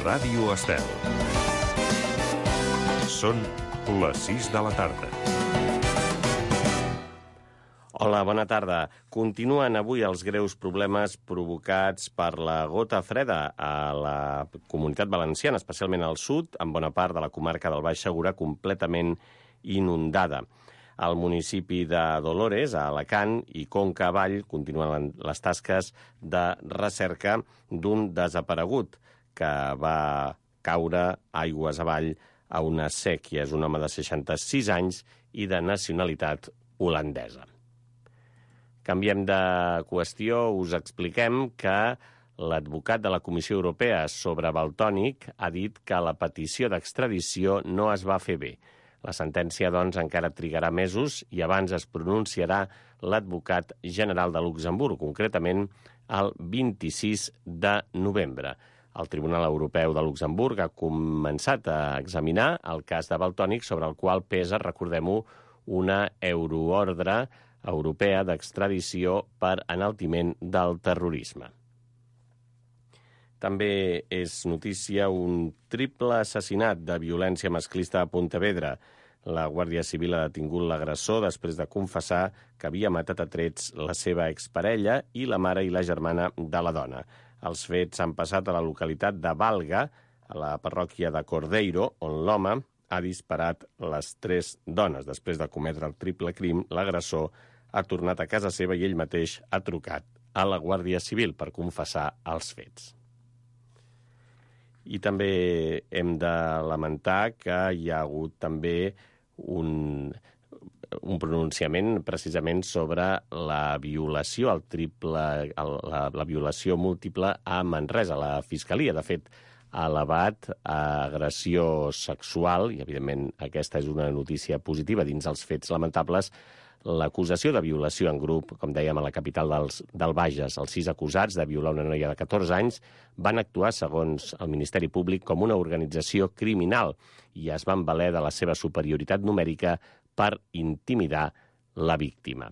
Ràdio Estel. Són les 6 de la tarda. Hola, bona tarda. Continuen avui els greus problemes provocats per la gota freda a la Comunitat Valenciana, especialment al sud, amb bona part de la comarca del Baix Segura completament inundada. Al municipi de Dolores, a Alacant i Conca Vall, continuen les tasques de recerca d'un desaparegut que va caure aigües avall a una sèquia. És un home de 66 anys i de nacionalitat holandesa. Canviem de qüestió, us expliquem que l'advocat de la Comissió Europea sobre Valtònyc ha dit que la petició d'extradició no es va fer bé. La sentència, doncs, encara trigarà mesos i abans es pronunciarà l'advocat general de Luxemburg, concretament el 26 de novembre. El Tribunal Europeu de Luxemburg ha començat a examinar el cas de Valtònyc, sobre el qual pesa, recordem-ho, una euroordre europea d'extradició per enaltiment del terrorisme. També és notícia un triple assassinat de violència masclista a Pontevedra. La Guàrdia Civil ha detingut l'agressor després de confessar que havia matat a trets la seva exparella i la mare i la germana de la dona. Els fets han passat a la localitat de Valga, a la parròquia de Cordeiro, on l'home ha disparat les 3 dones. Després de cometre el triple crim, l'agressor ha tornat a casa seva i ell mateix ha trucat a la Guàrdia Civil per confessar els fets. I també hem de lamentar que hi ha hagut també un pronunciament precisament sobre la violació, la violació múltiple a Manresa. La Fiscalia, de fet, ha elevat a agressió sexual, i evidentment aquesta és una notícia positiva dins els fets lamentables, l'acusació de violació en grup, com dèiem, a la capital del Bages. Els 6 acusats de violar una noia de 14 anys van actuar, segons el Ministeri Públic, com una organització criminal i es van valer de la seva superioritat numèrica per intimidar la víctima.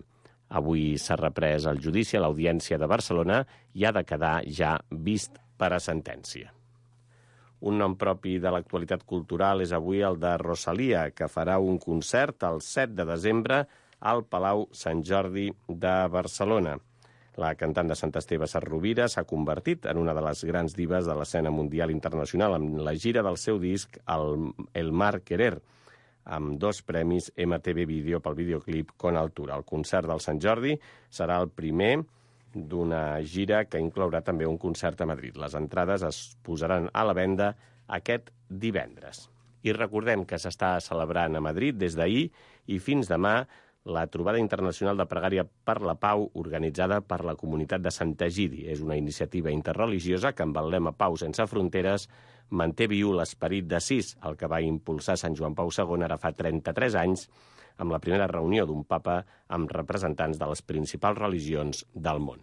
Avui s'ha reprès el judici a l'Audiència de Barcelona i ha de quedar ja vist per a sentència. Un nom propi de l'actualitat cultural és avui el de Rosalia, que farà un concert el 7 de desembre al Palau Sant Jordi de Barcelona. La cantant de Sant Esteve Sarrovira s'ha convertit en una de les grans divas de l'escena mundial internacional amb la gira del seu disc El Mar Querer, amb 2 premis MTV Video pel videoclip Con Altura. El concert del Sant Jordi serà el primer d'una gira que inclourà també un concert a Madrid. Les entrades es posaran a la venda aquest divendres. I recordem que s'està celebrant a Madrid des d'ahir i fins demà la trobada internacional de pregària per la pau organitzada per la comunitat de Sant Egidi. És una iniciativa interreligiosa que amb el lema Pau sense fronteres manté viu l'esperit d'Assís, el que va impulsar Sant Joan Pau II ara fa 33 anys, amb la primera reunió d'un papa amb representants de les principals religions del món.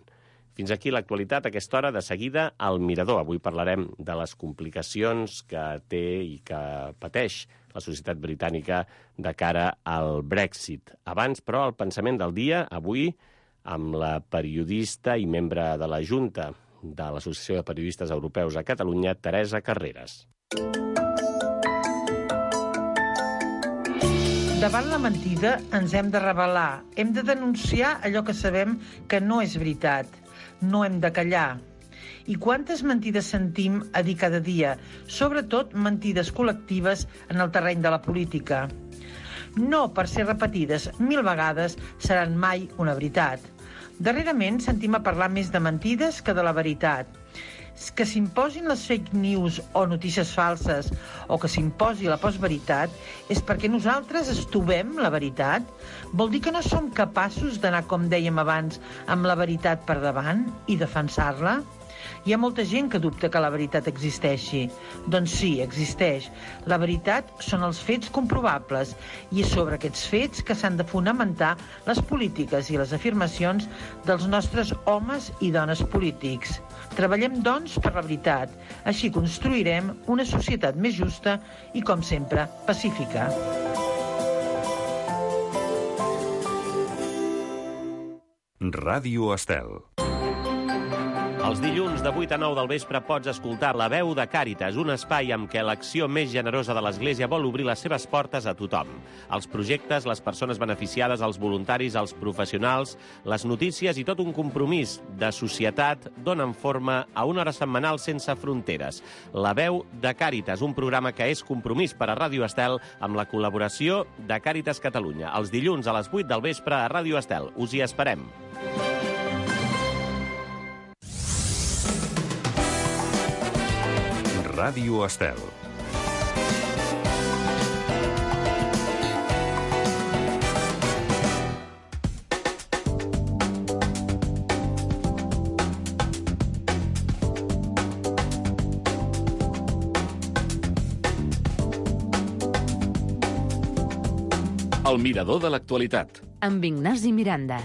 Fins aquí l'actualitat a aquesta hora. De seguida, al Mirador. Avui parlarem de les complicacions que té i que pateix la societat britànica de cara al Brexit. Abans, però, el pensament del dia, avui, amb la periodista i membre de la Junta de l'Associació de Periodistes Europeus a Catalunya, Teresa Carreras. Davant la mentida ens hem de rebel·lar, hem de denunciar allò que sabem que no és veritat. No hem de callar. I quantes mentides sentim a dir cada dia, sobretot mentides col·lectives en el terreny de la política. No, per ser repetides 1000 vegades, seran mai una veritat. Darrerament sentim a parlar més de mentides que de la veritat. Que s'imposin les fake news o notícies falses o que s'imposi la postveritat és perquè nosaltres estovem la veritat? Vol dir que no som capaços d'anar, com dèiem abans, amb la veritat per davant i defensar-la? Hi ha molta gent que dubta que la veritat existeixi. Doncs sí, existeix. La veritat són els fets comprovables i és sobre aquests fets que s'han de fonamentar les polítiques i les afirmacions dels nostres homes i dones polítics. Treballem, doncs, per la veritat. Així construirem una societat més justa i, com sempre, pacífica. Ràdio Estel. Els dilluns de 8 a 9 del vespre pots escoltar La Veu de Càritas, un espai amb què l'acció més generosa de l'Església vol obrir les seves portes a tothom. Els projectes, les persones beneficiades, els voluntaris, els professionals, les notícies i tot un compromís de societat donen forma a una hora setmanal sense fronteres. La Veu de Càritas, un programa que és compromís per a Ràdio Estel amb la col·laboració de Càritas Catalunya. Els dilluns a les 8 del vespre a Ràdio Estel. Us hi esperem. Ràdio Estel. El mirador de l'actualitat. Amb Ignasi Miranda.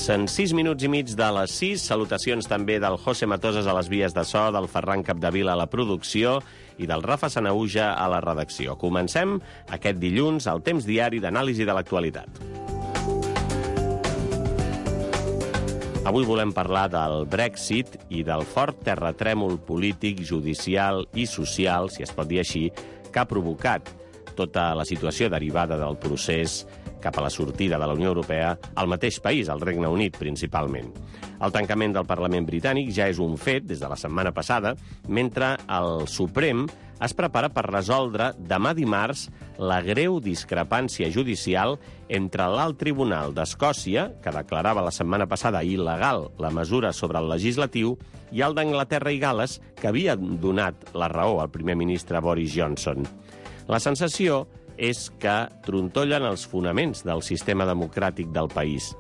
Passen 6 minuts i mig de les 6. Salutacions també del José Matoses a les vies de so, del Ferran Capdevila a la producció i del Rafa Sanauja a la redacció. Comencem aquest dilluns al temps diari d'anàlisi de l'actualitat. Avui volem parlar del Brexit i del fort terratrèmol polític, judicial i social, si es pot dir així, que ha provocat tota la situació derivada del procés cap a la sortida de la Unió Europea al mateix país, al Regne Unit, principalment. El tancament del Parlament britànic ja és un fet des de la setmana passada, mentre el Suprem es prepara per resoldre demà dimarts la greu discrepància judicial entre l'Alt Tribunal d'Escòcia, que declarava la setmana passada il·legal la mesura sobre el legislatiu, i el d'Anglaterra i Gal·les, que havia donat la raó al primer ministre Boris Johnson. La sensació és que trontollen els fonaments del sistema democràtic del país.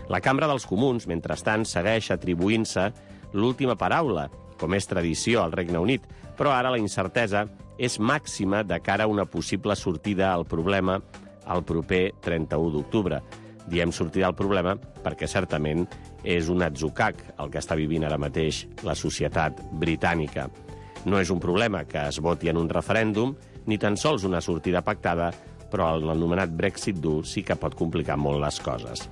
La Cambra dels Comuns, mentrestant, segueix atribuint-se l'última paraula, com és tradició al Regne Unit, però ara la incertesa és màxima de cara a una possible sortida al problema el proper 31 d'octubre. Diem sortida al problema perquè certament és un atzucac el que està vivint ara mateix la societat britànica. No és un problema que es voti en un referèndum, ni tan sols una sortida pactada, però l'anomenat Brexit dur sí que pot complicar molt les coses.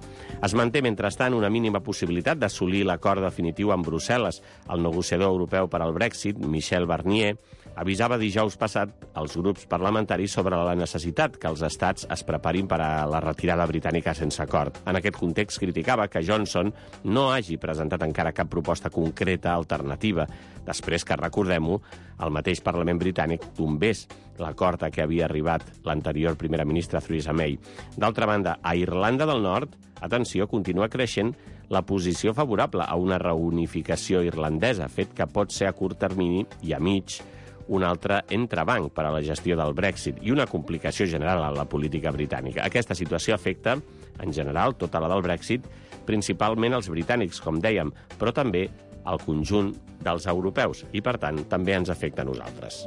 Es manté, mentrestant, una mínima possibilitat d'assolir l'acord definitiu amb Brussel·les. El negociador europeu per al Brexit, Michel Barnier, avisava dijous passat als grups parlamentaris sobre la necessitat que els estats es preparin per a la retirada britànica sense acord. En aquest context, criticava que Johnson no hagi presentat encara cap proposta concreta alternativa, després que, recordem-ho, el mateix Parlament britànic tombés l'acord a què havia arribat l'anterior primera ministra Theresa May. D'altra banda, a Irlanda del Nord, atenció, continua creixent la posició favorable a una reunificació irlandesa, fet que pot ser a curt termini i a mig un altre entrebanc per a la gestió del Brexit i una complicació general a la política britànica. Aquesta situació afecta, en general, tota la del Brexit, principalment els britànics, com dèiem, però també al conjunt dels europeus i, per tant, també ens afecta a nosaltres.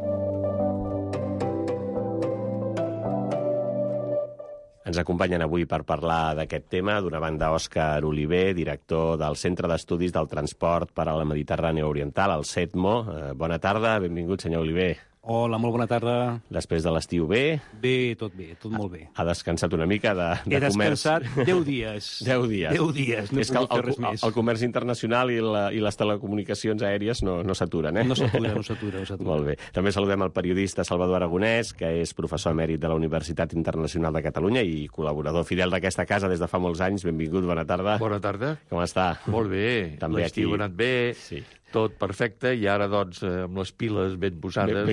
Ens acompanyen avui per parlar d'aquest tema, d'una banda, Òscar Oliver, director del Centre d'Estudis del Transport per a la Mediterrània Oriental, el CETMO. Bona tarda, benvingut, senyor Oliver. Hola, molt bona tarda. Després de l'estiu bé? Bé, tot molt bé. Ha descansat una mica de comerç? He descansat 10 dies. 10 dies. 10 dies, no he pogut fer res més. El comerç internacional i les telecomunicacions aèries no s'aturen, eh? No s'atura. Molt bé. També saludem el periodista Salvador Aragonès, que és professor emèrit de la Universitat Internacional de Catalunya i col·laborador fidel d'aquesta casa des de fa molts anys. Benvingut, bona tarda. Bona tarda. Com està? Molt bé. També l'estiu aquí. ha anat bé. Sí. tot perfecte, i ara, doncs, amb les piles ben posades,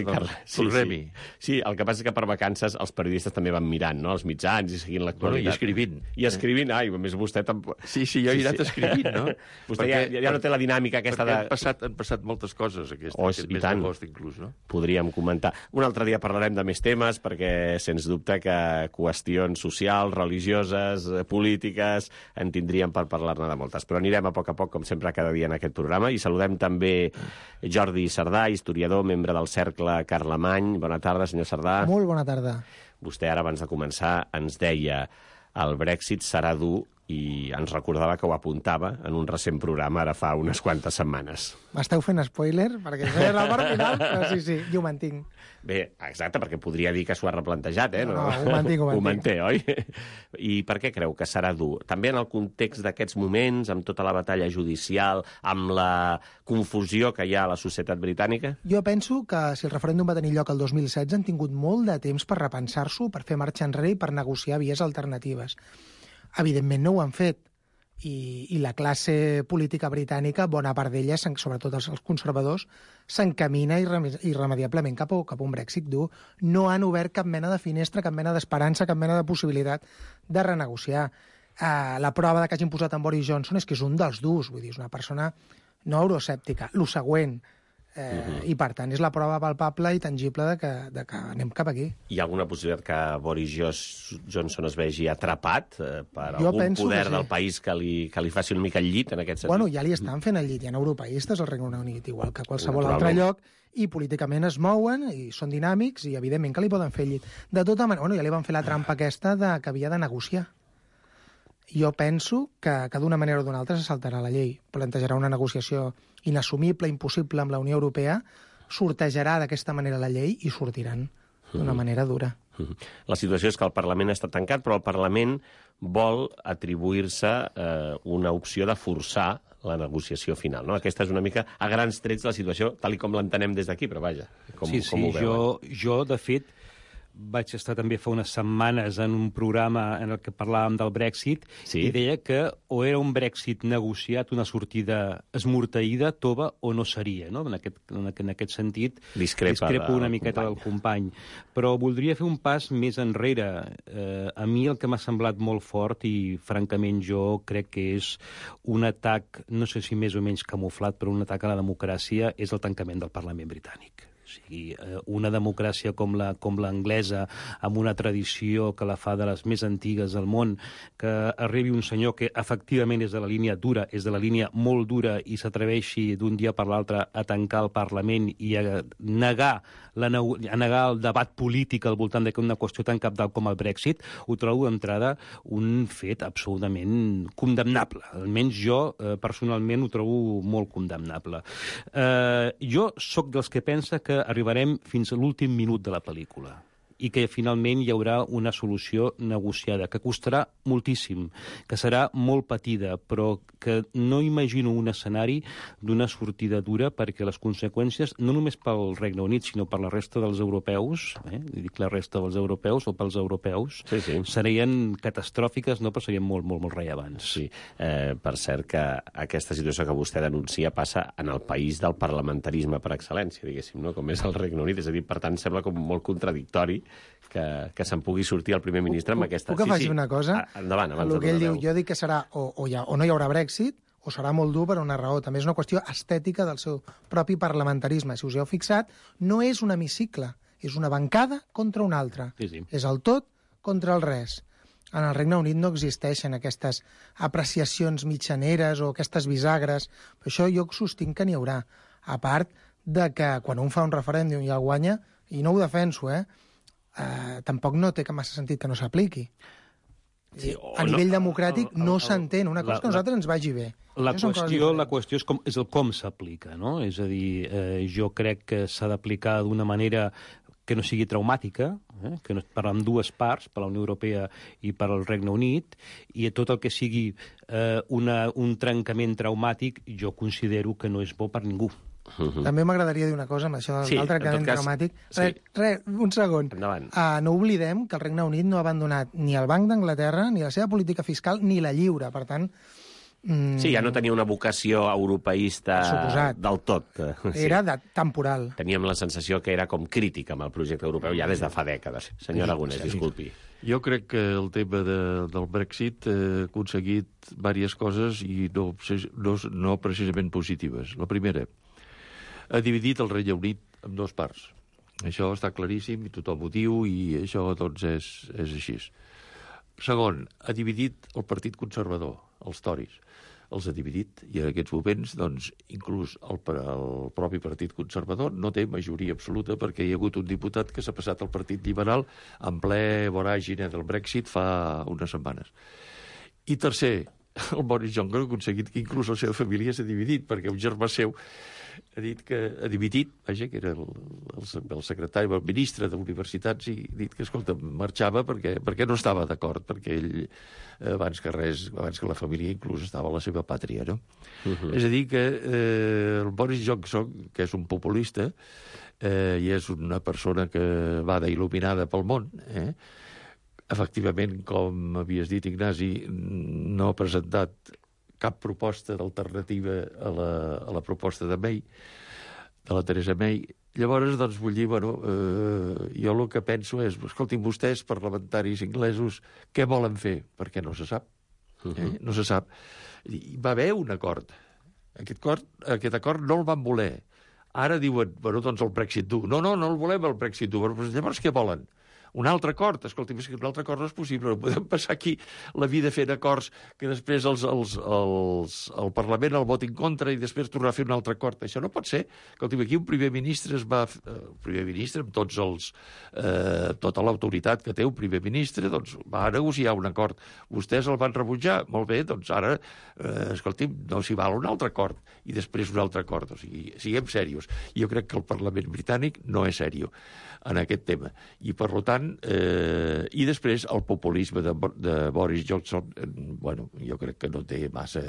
tornem-hi. Sí, el que passa és que per vacances els periodistes també van mirant, no?, els mitjans i seguint l'actualitat. I escrivint. I escrivint, més vostè tampoc... Sí, jo he anat escrivint, no? Vostè ja no té la dinàmica aquesta de... Perquè han passat moltes coses aquest mes d'agost, inclús, no? Podríem comentar. Un altre dia parlarem de més temes, perquè, sens dubte, que qüestions socials, religioses, polítiques, en tindríem per parlar-ne de moltes. Però anirem a poc, com sempre, cada dia en aquest programa, i saludem també Jordi Cerdà, historiador, membre del Cercle Carlemany. Bona tarda, senyor Cerdà. Molt bona tarda. Vostè ara, abans de començar, ens deia el Brexit serà dur, i ens recordava que ho apuntava en un recent programa ara fa unes quantes setmanes. M'esteu fent spoiler? Perquè és la part final, però sí, jo ho mantinc. Bé, exacte, perquè podria dir que s'ho ha replantejat, No, ho mantinc. Ho manté, oi? I per què creu que serà dur? També en el context d'aquests moments, amb tota la batalla judicial, amb la confusió que hi ha a la societat britànica? Jo penso que si el referèndum va tenir lloc el 2016 han tingut molt de temps per repensar-s'ho, per fer marxa enrere i per negociar vies alternatives. Evidentment no ho han fet, i la classe política britànica, bona part d'ella, sobretot els conservadors, s'encamina irremediablement cap a un Brexit dur. No han obert cap mena de finestra, cap mena d'esperança, cap mena de possibilitat de renegociar. La prova de que hagin posat en Boris Johnson és que és un dels durs, vull dir, és una persona no euroscèptica. Lo següent, i per tant és la prova palpable i tangible de que anem cap aquí. Hi ha alguna possibilitat que Boris Johnson es vegi atrapat per algun poder del país que li faci una mica el llit en aquest sentit? Bueno, ja li estan fent el llit, hi ha europeistes al Regne Unit, igual que a qualsevol altre lloc, i políticament es mouen, i són dinàmics, i evidentment que li poden fer el llit. De tota manera, ja li van fer la trampa aquesta que havia de negociar. Jo penso que d'una manera o d'una altra se saltarà la llei, plantejarà una negociació inassumible, impossible amb la Unió Europea, sortejarà d'aquesta manera la llei i sortiran d'una manera dura. La situació és que el Parlament està tancat, però el Parlament vol atribuir-se una opció de forçar la negociació final, no? Aquesta és una mica, a grans trets, la situació, tal com l'entenem des d'aquí, però vaja, com ho veuen? Jo, de fet, vaig estar també fa unes setmanes en un programa en el que parlàvem del Brexit, i deia que o era un Brexit negociat, una sortida esmorteïda, tova, o no seria, no? En aquest sentit, discrepo una miqueta del company. Però voldria fer un pas més enrere. A mi el que m'ha semblat molt fort, i francament jo crec que és un atac, no sé si més o menys camuflat, però un atac a la democràcia, és el tancament del Parlament britànic. O sigui, una democràcia com l'anglesa, amb una tradició que la fa de les més antigues del món, que arribi un senyor que efectivament és de la línia dura, és de la línia molt dura, i s'atreveixi d'un dia per l'altre a tancar el Parlament i a negar el debat polític al voltant d'una qüestió tan cabdal com el Brexit, ho trobo d'entrada un fet absolutament condemnable. Almenys jo, personalment, ho trobo molt condemnable. Jo sóc dels que pensa que arribarem fins a l'últim minut de la pel·lícula i que finalment hi haurà una solució negociada, que costarà moltíssim, que serà molt patida, però que no imagino un escenari d'una sortida dura, perquè les conseqüències, no només pel Regne Unit, sinó per la resta dels europeus, dic la resta dels europeus o pels europeus, serien catastròfiques, no, però serien molt, molt, molt rellevants. Sí, per cert que aquesta situació que vostè denuncia passa en el país del parlamentarisme per excel·lència, diguéssim, no? Com és el Regne Unit, és a dir, per tant, sembla com molt contradictori que se'n pugui sortir el primer ministre amb aquesta... Puc afegir una cosa? Endavant, abans el que ell diu, jo dic que serà o no hi haurà Brexit, o serà molt dur per una raó. També és una qüestió estètica del seu propi parlamentarisme. Si us heu fixat, no és un hemicicle, és una bancada contra una altra. És el tot contra el res. En el Regne Unit no existeixen aquestes apreciacions mitjaneres o aquestes bisagres. Per això jo sostinc que n'hi haurà. A part de que quan un fa un referèndum i el guanya, i no ho defenso, tampoc no té massa sentit que no s'apliqui. A nivell democràtic no s'entén. Una cosa que a nosaltres ens vagi bé. La qüestió és el com s'aplica, no? És a dir, jo crec que s'ha d'aplicar d'una manera que no sigui traumàtica, que no, per ambdues parts, per la Unió Europea i per al Regne Unit, i tot el que sigui un trencament traumàtic, jo considero que no és bo per ningú. També m'agradaria dir una cosa amb això del trencament traumàtic. Un segon. No oblidem que el Regne Unit no ha abandonat ni el Banc d'Anglaterra, ni la seva política fiscal, ni la lliure. Per tant, Sí, ja no tenia una vocació europeista del tot. Era temporal. Teníem la sensació que era com crític amb el projecte europeu ja des de fa dècades. Senyor Aragonès, disculpi. Jo crec que el tema del Brexit ha aconseguit diverses coses i no precisament positives. La primera, ha dividit el Regne Unit en dues parts. Això està claríssim i tothom ho diu i això doncs és així. Segon, ha dividit el Partit Conservador, els Tories. Els ha dividit i en aquests moments, doncs, inclús el propi Partit Conservador no té majoria absoluta perquè hi ha hagut un diputat que s'ha passat al Partit Liberal en ple voràgine del Brexit fa unes setmanes. I tercer, el Boris Johnson ha aconseguit que inclús la seva família s'ha dividit perquè un germà seu ha dit que ha dimitit, vaja, que era el secretari, el ministre d'Universitats, i ha dit que, escolta, marxava perquè no estava d'acord, perquè ell, abans que la família inclús estava a la seva pàtria, no? És a dir, que el Boris Johnson, que és un populista, i és una persona que va d'il·luminada pel món, efectivament, com havies dit, Ignasi, no ha presentat cap proposta d'alternativa a la proposta de May, de la Theresa May. Llavors, doncs, vull dir, jo el que penso és, escoltin, vostès, parlamentaris inglesos, què volen fer? Perquè no se sap. No se sap. I va haver un acord. Aquest acord no el van voler. Ara diuen, doncs el Brexit dur. No el volem, el Brexit dur. Llavors, què volen? Un altre acord, escolti'm, és que un altre acord no és possible, no podem passar aquí la vida fent acords que després el Parlament el voti en contra i després tornar a fer un altre acord. Això no pot ser. Escolti'm, aquí un primer ministre amb tota l'autoritat que té un primer ministre, doncs va negociar un acord. Vostès el van rebutjar, molt bé, doncs ara, escolti'm, no s'hi val un altre acord i després un altre acord. O sigui, siguem serios. Jo crec que el Parlament britànic no és seriós en aquest tema. I, per tant, i després el populisme de Boris Johnson, jo crec que no té massa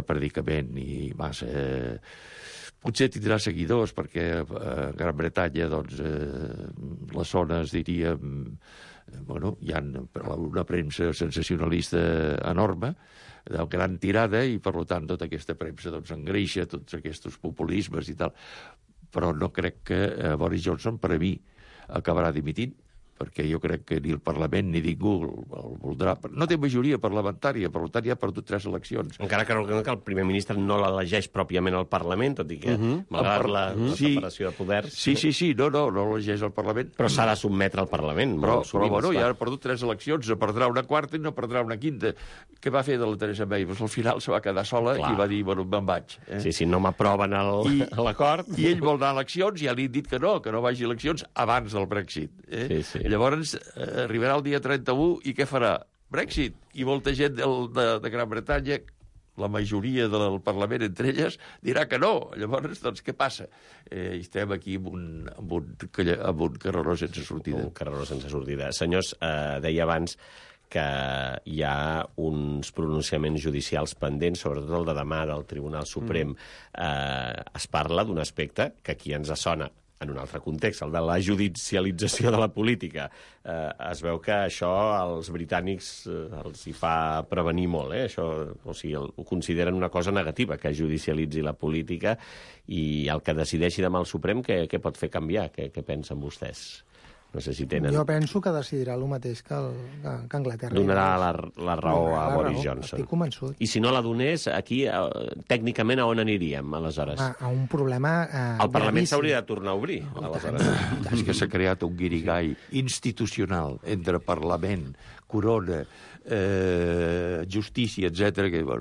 predicament i massa... Potser tindrà seguidors, perquè a Gran Bretanya, doncs, les zones, diríem, hi ha una premsa sensacionalista enorme, de gran tirada, i, per tant, tota aquesta premsa engreixa tots aquests populismes i tal. Però no crec que Boris Johnson, per a mi, acabarà dimitint, perquè jo crec que ni el Parlament ni ningú el voldrà. No té majoria parlamentària, per tant ja ha perdut 3 eleccions. Encara que el primer ministre no l'elegeix pròpiament al Parlament, tot i que, malgrat la separació de poders... Sí, no l'elegeix al Parlament. Però s'ha de sotmetre al Parlament. Però ja ha perdut 3 eleccions, perdrà una quarta i no perdrà una quinta. Què va fer de la Theresa May? Al final se va quedar sola i va dir, me'n vaig. Sí, no m'aproven l'acord. I ell vol anar a eleccions i ja li han dit que no vagi a eleccions abans del Brexit. Sí. Llavors arribarà el dia 31 i què farà? Brexit. I molta gent de Gran Bretanya, la majoria del Parlament, entre elles, dirà que no. Llavors, doncs, què passa? Estem aquí amb un carreró sense sortida. Un carreró sense sortida. Senyors, deia abans que hi ha uns pronunciaments judicials pendents, sobretot el de demà del Tribunal Suprem. Es parla d'un aspecte que aquí ens sona en un altre context, el de la judicialització de la política. Es veu que això als britànics els hi fa prevenir molt, Això, o sigui, ho consideren una cosa negativa, que judicialitzi la política, i el que decideixi demà el Suprem, què pot fer canviar? Què pensen vostès? No sé si tenen... Jo penso que decidirà el mateix que Anglaterra. Donarà la raó a Boris Johnson. Estic convençut. I si no la donés, aquí, tècnicament, a on aniríem, aleshores? A un problema el Parlament s'hauria de tornar a obrir, aleshores. És que s'ha creat un guirigall institucional entre Parlament, Corona, justícia, etc. que jo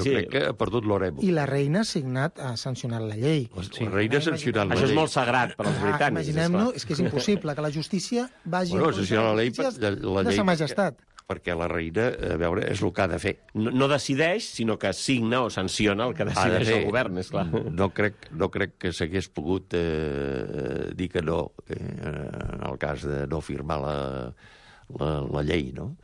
crec que ha perdut l'oremo. I la reina ha sancionat la llei. La reina ha sancionat la llei. Això és molt sagrat per als britànics. Imaginem-nos, és que és impossible que la justícia vagi en contra de sa majestat. Perquè la reina, a veure, és el que ha de fer. No decideix, sinó que signa o sanciona el que decideix el govern, és clar. No crec que s'hagués pogut dir que no, en el cas de no firmar la llei, no?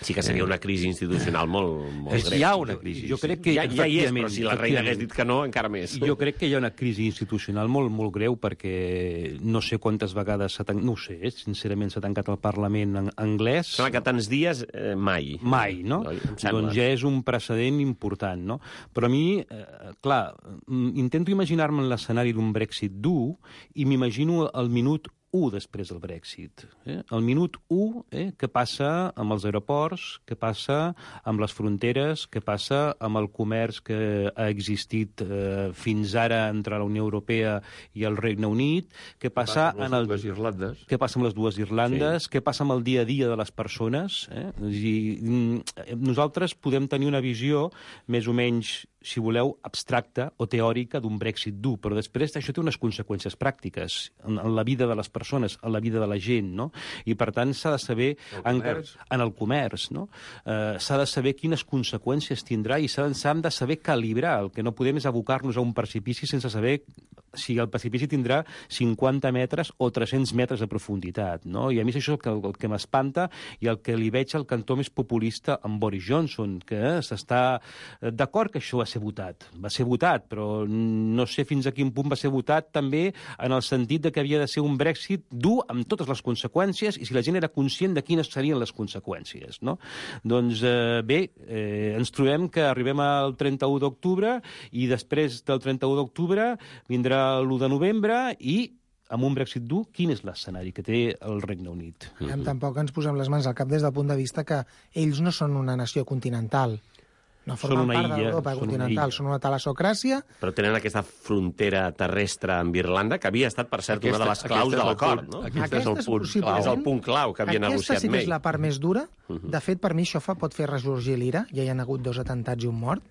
Sí que seria una crisi institucional molt greu. Hi ha una crisi. Jo crec que ja hi és, però si la reina hagués dit que no, encara més. Jo crec que hi ha una crisi institucional molt greu perquè no sé quantes vegades no ho sé, sincerament s'ha tancat el Parlament anglès. Sembla que tants dies mai. Mai, no? Doncs ja és un precedent important, no? Però a mi, clar, intento imaginar-me en l'escenari d'un Brexit dur i m'imagino el minut 1 després del Brexit. El minut 1, què passa amb els aeroports, què passa amb les fronteres, què passa amb el comerç que ha existit fins ara entre la Unió Europea i el Regne Unit, què passa amb les dues Irlandes, què passa amb el dia a dia de les persones. Nosaltres podem tenir una visió més o menys, si voleu, abstracta o teòrica d'un Brexit dur, però després això té unes conseqüències pràctiques en la vida de les persones, en la vida de la gent, no? I, per tant, s'ha de saber... En el comerç, no? S'ha de saber quines conseqüències tindrà i s'han de saber calibrar. El que no podem és abocar-nos a un precipici sense saber si el precipici tindrà 50 metres o 300 metres de profunditat, no? I a mi és això el que m'espanta i el que li veig al cantó més populista amb Boris Johnson, que s'està d'acord que això va ser votat, però no sé fins a quin punt va ser votat també en el sentit de que havia de ser un Brexit dur amb totes les conseqüències i si la gent era conscient de quines serien les conseqüències, no? Doncs bé, ens trobem que arribem al 31 d'octubre i després del 31 d'octubre vindrà l'1 de novembre i amb un Brexit dur, quin és l'escenari que té el Regne Unit? Tampoc ens posem les mans al cap des del punt de vista que ells no són una nació continental. No formen part d'Europa continental, són una talassocràcia. Però tenen aquesta frontera terrestre amb Irlanda, que havia estat, per cert, una de les claus de l'acord, no? Aquest és el punt clau que havia negociat May. Aquesta sí que és la part més dura. De fet, per mi això pot fer ressorgir l'ira. Ja hi ha hagut 2 atentats i un mort.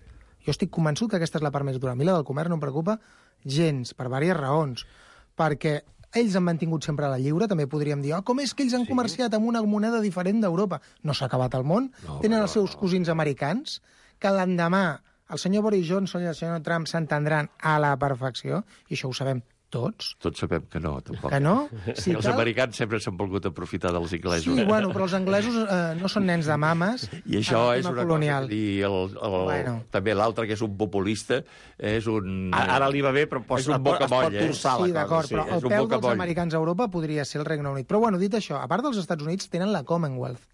Jo estic convençut que aquesta és la part més dura. A mi la del comerç no em preocupa gens, per diverses raons. Perquè ells han mantingut sempre la lliure, també podríem dir, com és que ells han comerciat amb una moneda diferent d'Europa? No s'ha acabat el món. Tenen els seus cosins americans, que l'endemà el senyor Boris Johnson i el senyor Trump s'entendran a la perfecció, i això ho sabem tots. Tots sabem que no, tampoc. Que no? Si els americans sempre s'han volgut aprofitar dels inglesos. Sí, bueno, però els anglesos no són nens de mames. I això és una colonial. Cosa. També l'altre, que és un populista, és un... Ara li va bé, però és un bocamoll. Sí, d'acord, però el peu dels americans a Europa podria ser el Regne Unit. Però, bueno, dit això, a part dels Estats Units, tenen la Commonwealth.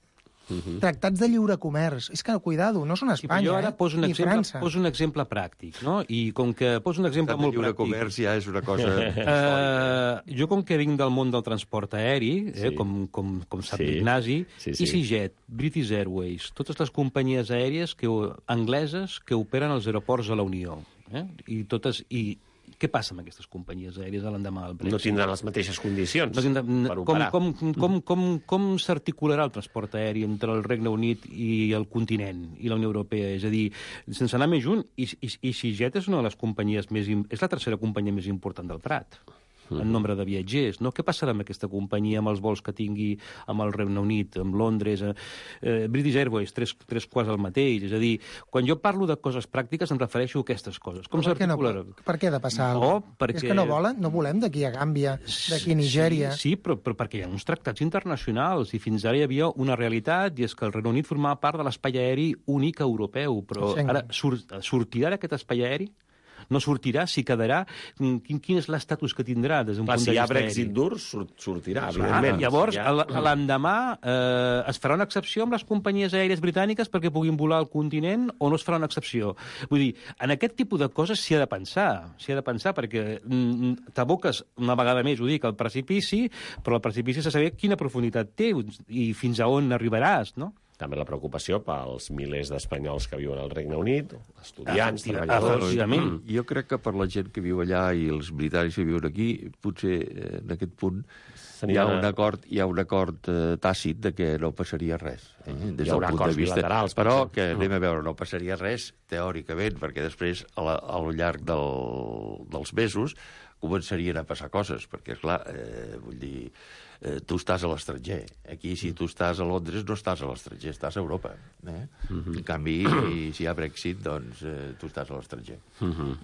Tractats de lliure comerç. És que, cuidado, no són Espanya, jo ara poso França. Poso un exemple pràctic, no? I com que poso un exemple molt pràctic... lliure comerç ja és una cosa... Jo, com que vinc del món del transport aeri, com sap l'Ignasi, EasyJet, British Airways, totes les companyies aèries angleses que operen als aeroports a la Unió. I què passa amb aquestes companyies aèries a l'endemà del Brexit? No tindran les mateixes condicions per operar. Com s'articularà el transport aeri entre el Regne Unit i el continent i la Unió Europea? És a dir, sense anar més junt, EasyJet és una de les companyies és la tercera companyia més important del Prat en nombre de viatgers, no? Què passarà amb aquesta companyia, amb els vols que tingui amb el Regne Unit, amb Londres, British Airways, tres quarts el mateix? És a dir, quan jo parlo de coses pràctiques em refereixo a aquestes coses. Com s'articularà? Per què ha de passar alguna cosa? És que no volen, no volem d'aquí a Gàmbia, d'aquí a Nigèria... Sí, però perquè hi ha uns tractats internacionals i fins ara hi havia una realitat i és que el Regne Unit formava part de l'espai aeri únic europeu, però ara sortirà d'aquest espai aeri? No sortirà, si quedarà... Quin és l'estatus que tindrà des d'un punt de vista aeri? Si hi ha Brexit dur, sortirà, evidentment. Llavors, l'endemà es farà una excepció amb les companyies aèries britàniques perquè puguin volar al continent o no es farà una excepció? Vull dir, en aquest tipus de coses s'hi ha de pensar, perquè t'aboques una vegada més, ho dic, al precipici, però el precipici s'ha de saber quina profunditat té i fins a on arribaràs, no? També la preocupació pels milers d'espanyols que viuen al Regne Unit, estudiants, treballadors... Jo crec que per la gent que viu allà i els britànics que viuen aquí, potser en aquest punt hi ha un acord tàcit de que no passaria res. Des del punt de vista. Però que anem a veure, no passaria res teòricament, perquè després, al llarg dels mesos, començarien a passar coses, perquè, clar, vull dir... tu estàs a l'estranger. Aquí, si tu estàs a Londres, no estàs a l'estranger, estàs a Europa. En canvi, si hi ha Brexit, doncs tu estàs a l'estranger.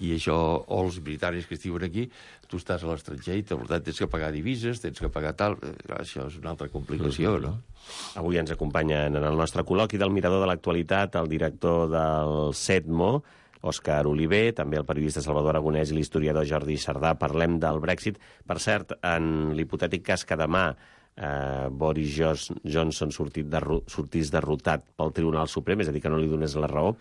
I això, o els britànics que estiuen aquí, tu estàs a l'estranger i per tant tens que pagar divises, tens que pagar tal... Això és una altra complicació, no? Avui ens acompanyen en el nostre col·loqui del Mirador de l'Actualitat el director del CEDMO, Òscar Oliver, també el periodista Salvador Aragonès i l'historiador Jordi Sardà. Parlem del Brexit. Per cert, en l'hipotètic cas que demà Boris Johnson sortís derrotat pel Tribunal Suprem, és a dir, que no li donés la raó,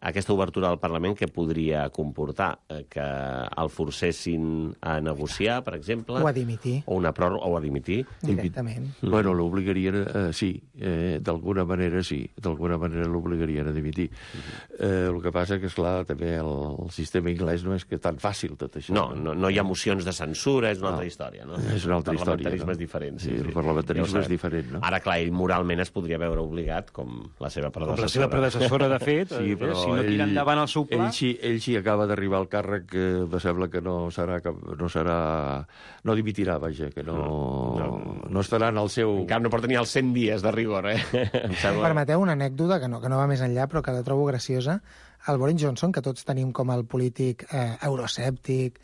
aquesta obertura del Parlament que podria comportar que el forcessin a negociar, per exemple... O a dimitir. O una pròrroga, o a dimitir. Directament. Bueno, l'obligarien, sí, d'alguna manera sí, d'alguna manera l'obligarien a dimitir. El que passa que, esclar, també el sistema anglès no és que tan fàcil tot això. No hi ha mocions de censura, és una altra història, no? És una altra història. El parlamentarisme és diferent. Sí, el parlamentarisme és diferent, no? Ara, clar, ell moralment es podria veure obligat, com la seva predecessora. Com la seva predecessora, de fet, sí, però si no tira endavant el seu pla... Ell sí acaba d'arribar al càrrec, que me sembla que no dimitirà, vaja, que no estarà en el seu... En cap no porta ni els 100 dies de rigor, Permeteu una anècdota que no va més enllà, però que la trobo graciosa. El Boris Johnson, que tots tenim com el polític euroscèptic,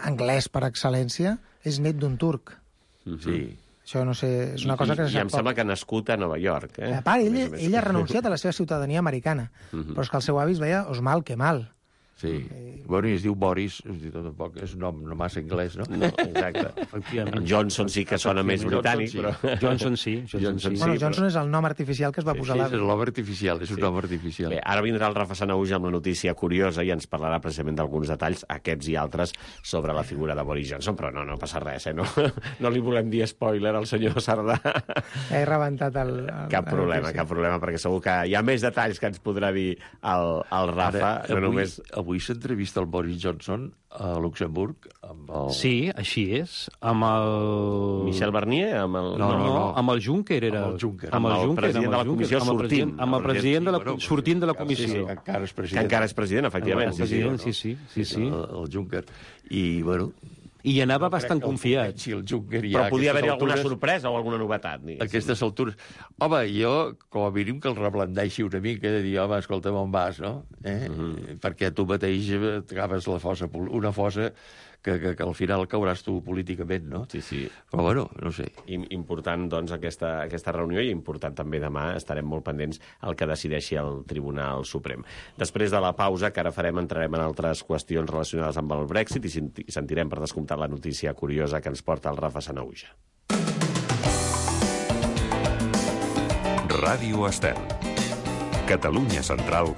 anglès per excel·lència, és net d'un turc. Sí. Això no sé, és una cosa que se sap I em sembla que ha nascut a Nova York. A part, ell ha renunciat a la seva ciutadania americana, però és que el seu avi es veia Osmal Kemal. Sí. Bueno, i es diu Boris, tampoc és un nom no massa anglès, no? No, exacte. Efectivament. Johnson sí que sona més britànic, però... Johnson sí. Bueno, Johnson és el nom artificial que es va posar l'avi. Sí, és el nom artificial, és un nom artificial. Bé, ara vindrà el Rafa Sanahuja amb la notícia curiosa i ens parlarà precisament d'alguns detalls, aquests i altres, sobre la figura de Boris Johnson, però no passa res, no li volem dir spoiler al senyor Sardà. He rebentat el... Cap problema, perquè segur que hi ha més detalls que ens podrà dir el Rafa, ara, no només... Avui s'entrevista el Boris Johnson a Luxemburg amb el... Sí, així és. Amb el... Michel Barnier? Amb el... No, amb el Juncker era... Amb el Juncker. Amb el president de la comissió sortint. Amb el president sortint de la comissió. Sí, encara és president. Que encara és president, efectivament. Sí. El Juncker. I, bueno... I anava bastant confiat. Si el Juncker però podia haver-hi alguna sorpresa o alguna novetat. A aquestes altures. Home, jo, com a mínim, que el reblandeixi una mica, de dir, home, escolta'm, on vas, no? Perquè tu mateix t'acabes una fossa que al final cauràs tu políticament, no? Sí. Però, bueno, no sé. Important, doncs, aquesta reunió, i important també demà, estarem molt pendents al que decideixi el Tribunal Suprem. Després de la pausa, que ara farem, entrarem en altres qüestions relacionades amb el Brexit i sentirem, per descomptat, la notícia curiosa que ens porta el Rafa Sanahuja. Ràdio Estel. Catalunya Central,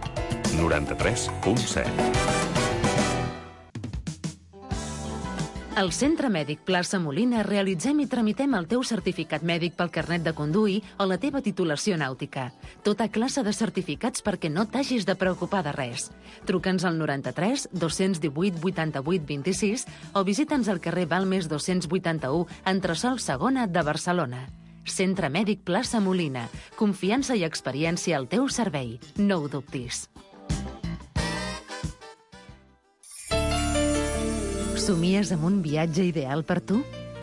93.7. Al Centre Mèdic Plaça Molina realitzem i tramitem el teu certificat mèdic pel carnet de conduir o la teva titulació nàutica. Tota classe de certificats perquè no t'hagis de preocupar de res. Truca'ns al 93 218 88 26 o visita'ns al carrer Balmes 281, entresòl Segona de Barcelona. Centre Mèdic Plaça Molina. Confiança i experiència al teu servei. No ho dubtis. Somies amb un viatge ideal per tu?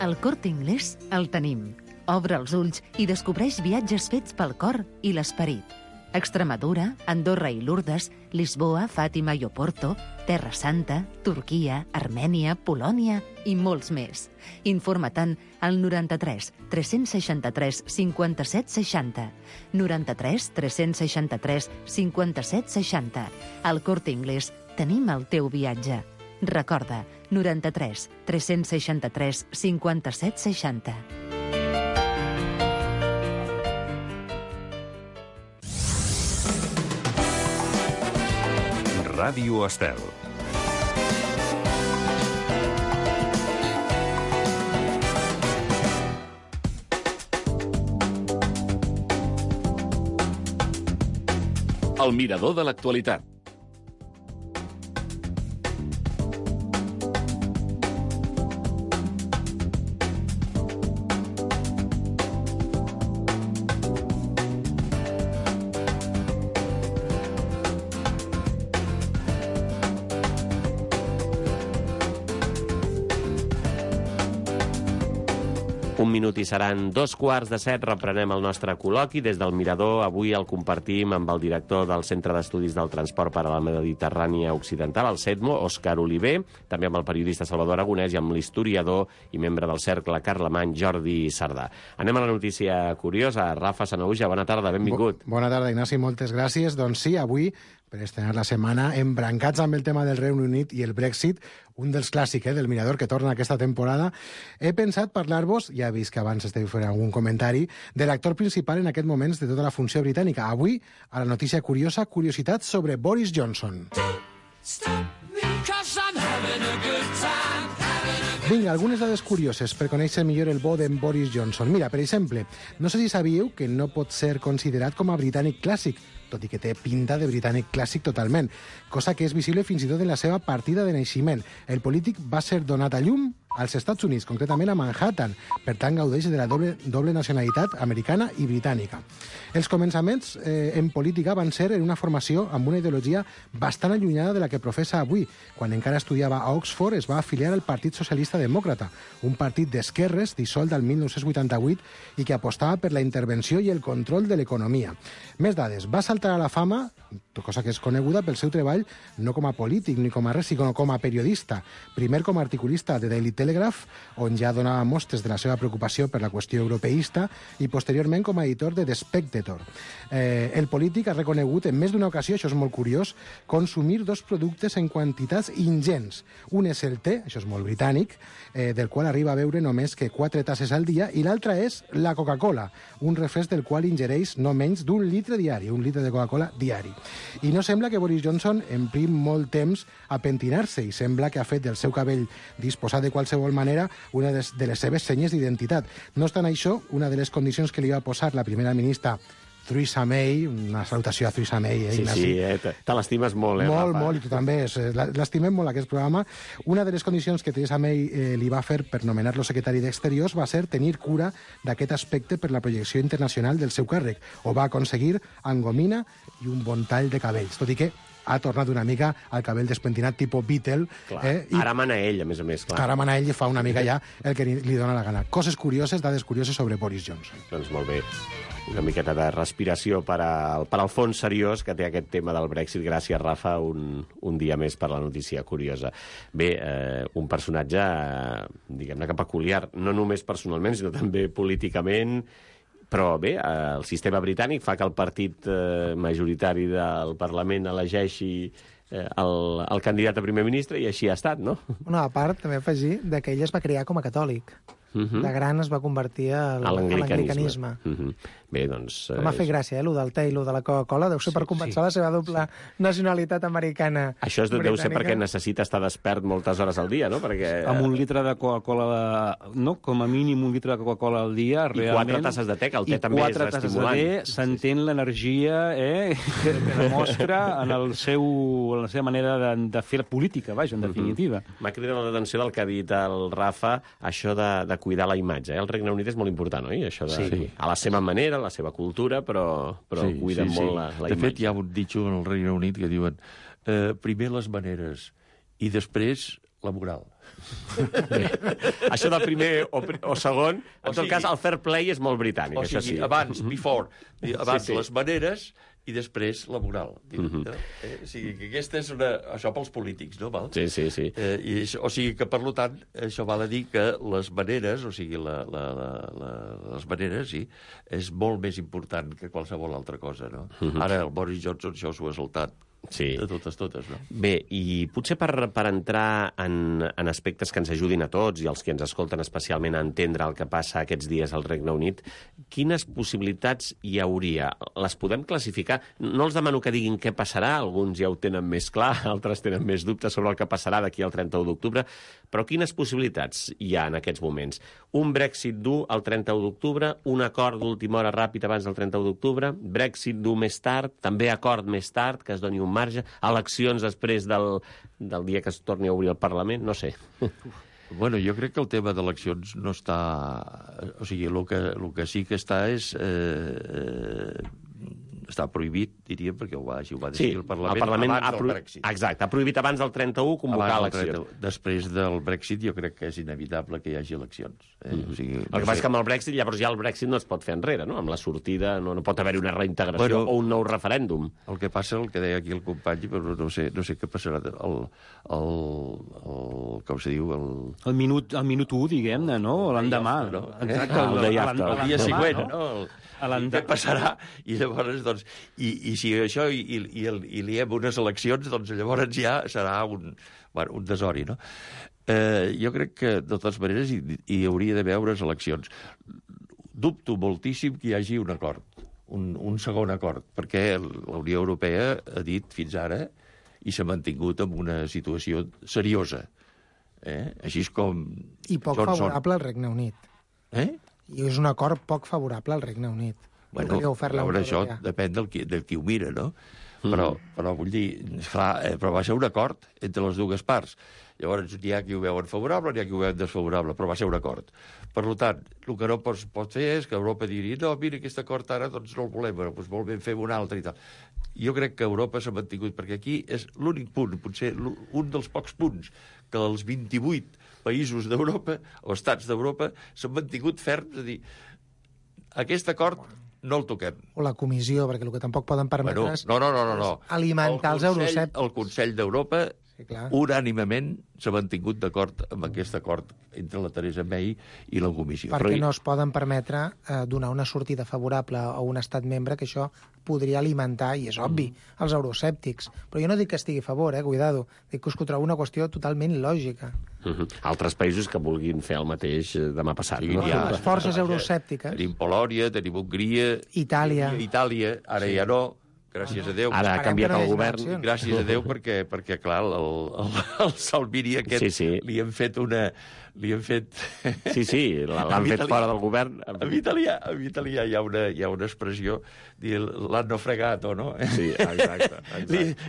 Al Corte Inglés el tenim. Obre els ulls i descobreix viatges fets pel cor i l'esperit. Extremadura, Andorra i Lourdes, Lisboa, Fàtima i Oporto, Terra Santa, Turquia, Armènia, Polònia i molts més. Informa-te'n al 93 363 57 60. 93 363 57 60. Al Corte Inglés tenim el teu viatge. Recorda, 93 363 57 60. Ràdio Estel. El mirador de l'actualitat. Un minut i seran 2:15, reprenem el nostre col·loqui. Des del Mirador, avui el compartim amb el director del Centre d'Estudis del Transport per a la Mediterrània Occidental, el CETMO, Òscar Oliver, també amb el periodista Salvador Aragonès i amb l'historiador i membre del Cercle Carlemany, Jordi Sardà. Anem a la notícia curiosa. Rafa Sanahuja, bona tarda, benvingut. Bona tarda, Ignasi, moltes gràcies. Doncs sí, avui, per estrenar la setmana, embrancats amb el tema del Regne Unit i el Brexit, un dels clàssics del Mirador que torna aquesta temporada, he pensat parlar-vos, ja he vist que abans esteu fent algun comentari, de l'actor principal en aquest moments de tota la funció britànica. Avui, a la notícia curiosa, curiositat sobre Boris Johnson. Vinga, algunes dades curioses per conèixer millor el bo d'en Boris Johnson. Mira, per exemple, no sé si sabíeu que no pot ser considerat com a britànic clàssic, tot i que té pinta de britànic clàssic totalment, cosa que és visible fins i tot en la seva partida de naixement. El polític va ser donat a llum als Estats Units, concretament a Manhattan. Per tant, gaudeix de la doble nacionalitat americana i britànica. Els començaments en política van ser en una formació amb una ideologia bastant allunyada de la que professa avui. Quan encara estudiava a Oxford, es va afiliar al Partit Socialista Demòcrata, un partit d'esquerres dissolt el 1988 i que apostava per la intervenció i el control de l'economia. Més dades. Va saltar a la fama, cosa que és coneguda pel seu treball no com a polític ni com a res, sinó com a periodista. Primer com a articulista de Daily Telegraph, on ja donava mostres de la seva preocupació per la qüestió europeista, i posteriorment com a editor de The Spectator. El polític ha reconegut en més d'una ocasió, això és molt curiós, consumir dos productes en quantitats ingents. Un és el te, això és molt britànic, del qual arriba a beure només que 4 tasses al dia, i l'altra és la Coca-Cola, un refresc del qual ingereix no menys d'un litre diari, un litre de Coca-Cola diari. I no sembla que Boris Johnson empri molt temps a pentinar-se, i sembla que ha fet del seu cabell disposat de qualsevol manera una de les seves senyes d'identitat. No obstant això, una de les condicions que li va posar la primera ministra Theresa May, una salutació a Theresa May, Ignasi. Sí, te l'estimes molt, Molt, Rafa? molt, i tu també. L'estimem molt, aquest programa. Una de les condicions que Theresa May li va fer per nomenar-lo secretari d'Exteriors va ser tenir cura d'aquest aspecte per la projecció internacional del seu càrrec. Ho va aconseguir amb gomina i un bon tall de cabells, tot i que ha tornat una mica al cabell despentinat tipus Beatle. I ara mana ell, a més a més, clar. Ara mana ell i fa una mica ja el que li dona la gana. Coses curioses, dades curioses sobre Boris Johnson. Doncs molt bé. Una miqueta de respiració per al fons seriós que té aquest tema del Brexit. Gràcies, Rafa, un dia més per la notícia curiosa. Bé, un personatge, diguem-ne que peculiar, no només personalment, sinó també políticament. Però bé, el sistema britànic fa que el partit majoritari del Parlament elegeixi el candidat a primer ministre, i així ha estat, no? Una part, també afegir, que ell es va crear com a catòlic. De gran es va convertir a l'anglicanisme. Bé, doncs... M'ha fet gràcia, lo del te i lo de la Coca-Cola. Deu ser per compensar la seva doble nacionalitat americana. Això deu ser perquè necessita estar despert moltes hores al dia, no? Perquè... Amb un litre de Coca-Cola, no? Com a mínim un litre de Coca-Cola al dia, realment... I 4 tasses de te, que el te també és estimulant. I 4 tasses de te, s'entén l'energia que demostra en la seva manera de fer política, vaja, en definitiva. M'ha cridat l'atenció del que ha dit el Rafa, això de cuidar la imatge. El Regne Unit és molt important, oi? Això de, a la seva manera, la seva cultura, però cuiden molt la imatge. De fet, hi ha un ditxo en el Regne Unit que diuen primer les maneres i després la moral. Això de primer o segon, en tot cas, el fair play és molt britànic, això sí. Abans les maneres i després la moral. O sigui, que aquesta és això pels polítics, no? Sí. O sigui que, per tant, això val a dir que les maneres, o sigui, les maneres, sí, és molt més important que qualsevol altra cosa, no? Ara el Boris Johnson això s'ho ha saltat. Sí. De totes, no? Bé, i potser per entrar en aspectes que ens ajudin a tots i els que ens escolten especialment a entendre el que passa aquests dies al Regne Unit, quines possibilitats hi hauria? Les podem classificar? No els demano que diguin què passarà, alguns ja ho tenen més clar, altres tenen més dubtes sobre el que passarà d'aquí al 31 d'octubre, però quines possibilitats hi ha en aquests moments? Un Brexit dur el 31 d'octubre, un acord d'última hora ràpid abans del 31 d'octubre, Brexit dur més tard, també acord més tard, que es doni un marge, eleccions després del dia que es torni a obrir el Parlament, no sé. Bueno, jo crec que el tema d'eleccions no està... O sigui, el que sí que està és està prohibit, diríem, perquè ho va decidir el Parlament, abans del Brexit. Exacte, ha prohibit abans del 31 convocar eleccions. Després del Brexit jo crec que és inevitable que hi hagi eleccions. O sigui, el que passa és que amb el Brexit, llavors ja el Brexit no es pot fer enrere, no? Amb la sortida no pot haver-hi una reintegració o un nou referèndum. El que passa, el que deia aquí el company, però no sé què passarà, com se diu... El minut 1, diguem-ne, no? L'endemà. Exacte, el dia següent, no? Què passarà? I llavors, doncs, i si això i liem unes eleccions, doncs llavors ja serà un desori, no? Jo crec que, de totes maneres, hi hauria d'haver unes eleccions. Dubto moltíssim que hi hagi un acord, un segon acord, perquè la Unió Europea ha dit fins ara i s'ha mantingut en una situació seriosa. Així com... I poc favorable al Regne Unit. I és un acord poc favorable al Regne Unit. Bueno, això depèn del qui ho mira, no? Però vull dir, però va ser un acord entre les dues parts. Llavors, n'hi ha qui ho veuen favorable, n'hi ha qui ho veuen desfavorable, però va ser un acord. Per tant, el que no pot fer és que Europa digui no, mira, aquest acord ara doncs no el volem, però doncs molt ben fer un altre i tal. Jo crec que Europa s'ha mantingut, perquè aquí és l'únic punt, potser un dels pocs punts, que els 28 països d'Europa, o estats d'Europa, s'han mantingut ferms, és a dir, aquest acord no el toquem. O la comissió, perquè el que tampoc poden permetre és alimentar els euroscèptics. El Consell d'Europa unànimement s'ha mantingut d'acord amb aquest acord entre la Theresa May i la comissió. Perquè no es poden permetre donar una sortida favorable a un estat membre, que això podria alimentar, i és obvi, els euroscèptics. Però jo no dic que estigui a favor, cuidado. Dic que us trobo una qüestió totalment lògica. Altres països que vulguin fer el mateix demà passat. Sí, les forces euroscèptiques. Tenim Polònia, tenim Hongria... Itàlia, ara ja no... Gràcies a Déu. Ara ha canviat el govern. Gràcies a Déu perquè clar, el Salvini aquest li han fet una... l'han fet fora del govern. En italià hi ha una expressió, l'hanno fregato, no? Sí, exacte.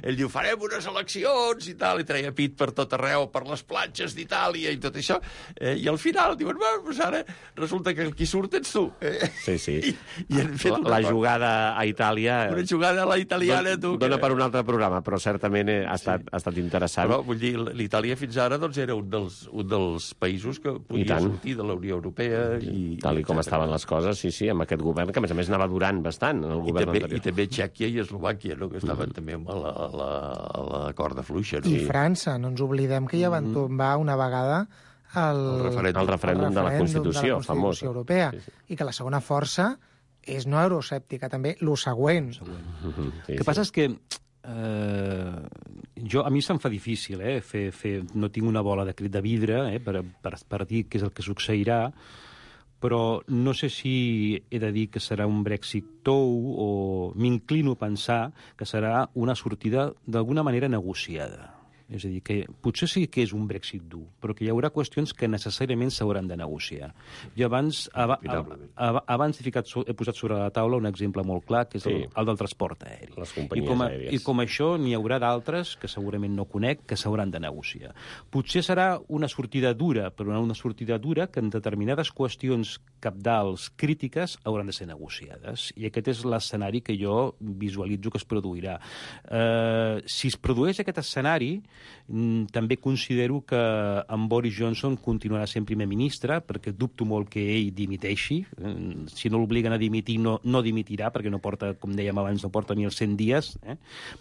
Ell diu, farem unes eleccions i tal, i treia pit per tot arreu, per les platges d'Itàlia i tot això, i al final diuen, doncs ara resulta que el qui surt ets tu. Sí. I han fet la jugada a Itàlia... Una jugada a la italiana, tu... Dona per un altre programa, però certament ha estat interessant. Però, vull dir, l'Itàlia fins ara doncs, era un dels països que podia sortir de la Unió Europea. Tal com estaven les coses, sí, amb aquest govern, que a més anava durant bastant el govern anterior. I també Txèquia i Eslovàquia, no? Que estaven també a la corda fluixa. No? I França, no ens oblidem que ja van tombar una vegada el referèndum de la Constitució famós europea, i que la segona força és no euroscèptica, també lo següent. El que passa és que a mi se'm fa difícil no tinc una bola de vidre per dir què és el que succeirà, però no sé si he de dir que serà un Brexit tou o m'inclino a pensar que serà una sortida d'alguna manera negociada. És a dir, que potser sí que és un Brexit dur, però que hi haurà qüestions que necessàriament s'hauran de negociar. Jo abans he posat sobre la taula un exemple molt clar, que és el del transport aeri. Les companyies aèries. I com això n'hi haurà d'altres, que segurament no conec, que s'hauran de negociar. Potser serà una sortida dura, però una sortida dura que en determinades qüestions cabdals crítiques hauran de ser negociades. I aquest és l'escenari que jo visualitzo que es produirà. Si es produeix aquest escenari, també considero que en Boris Johnson continuarà sent primer ministre, perquè dubto molt que ell dimiteixi. Si no l'obliguen a dimitir, no dimitirà, perquè no porta, com dèiem abans, no porta ni els 100 dies.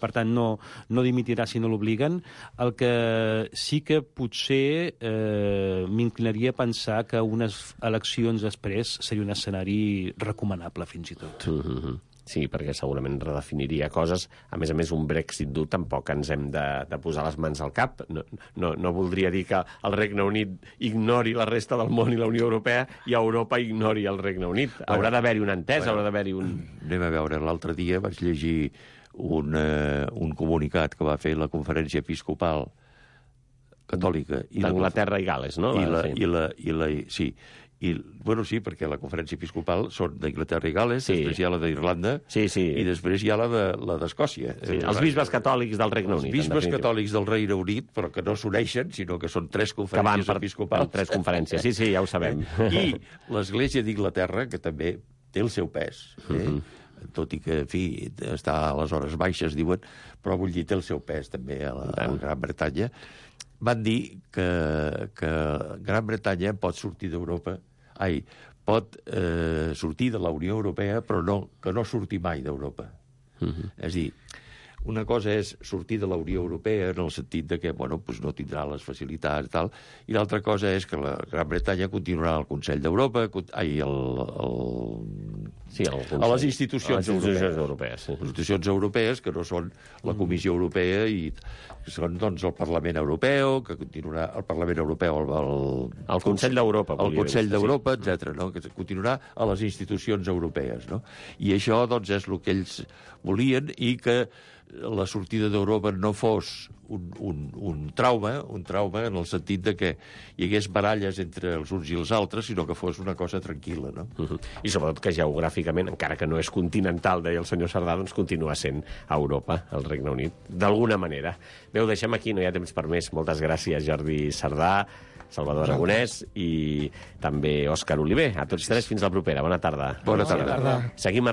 Per tant, no dimitirà si no l'obliguen. El que sí que potser m'inclinaria a pensar que unes eleccions després seria un escenari recomanable, fins i tot. Sí, perquè segurament redefiniria coses. A més, un Brexit dur tampoc ens hem de posar les mans al cap. No voldria dir que el Regne Unit ignori la resta del món i la Unió Europea i Europa ignori el Regne Unit. Haurà d'haver-hi una entesa, haurà d'haver-hi un... Anem a veure, l'altre dia vaig llegir un comunicat que va fer la Conferència Episcopal Catòlica. D'Anglaterra i Gal·les, no? Sí, perquè la Conferència Episcopal són d'Anglaterra i Gal·les, després hi ha la d'Irlanda i després hi ha la d'Escòcia. Els bisbes catòlics del Regne Unit. Els bisbes catòlics del Regne Unit, però que no s'uneixen, sinó que són 3 conferències episcopals. 3 conferències, sí, ja ho sabem. I l'Església d'Inglaterra, que també té el seu pes, tot i que, en fi, està a les hores baixes, diuen, però vull dir, té el seu pes també a la Gran Bretanya, van dir que Gran Bretanya pot sortir d'Europa, pot sortir de la Unió Europea, però que no surti mai d'Europa. És a dir, una cosa és sortir de la Unió Europea en el sentit de que no tindrà les facilitats i tal, i l'altra cosa és que la Gran Bretanya continuarà al Consell d'Europa, a les institucions europees. Les institucions europees, que no són la Comissió Europea, i són el Parlament Europeu, que continuarà el Parlament Europeu, el Consell d'Europa, el Consell d'Europa, etc., que continuarà a les institucions europees. I això és el que ells volien, i que la sortida d'Europa no fos un trauma en el sentit de que hi hagués baralles entre els uns i els altres, sinó que fos una cosa tranquil·la, no? I sobretot que geogràficament, encara que no és continental, deia el senyor Cerdà, doncs continua sent Europa, el Regne Unit, d'alguna manera. Bé, ho deixem aquí, no hi ha temps per més. Moltes gràcies, Jordi Cerdà, Salvador Aragonès i també Òscar Oliver. A tots tres, fins la propera. Bona tarda. Bona tarda. Seguim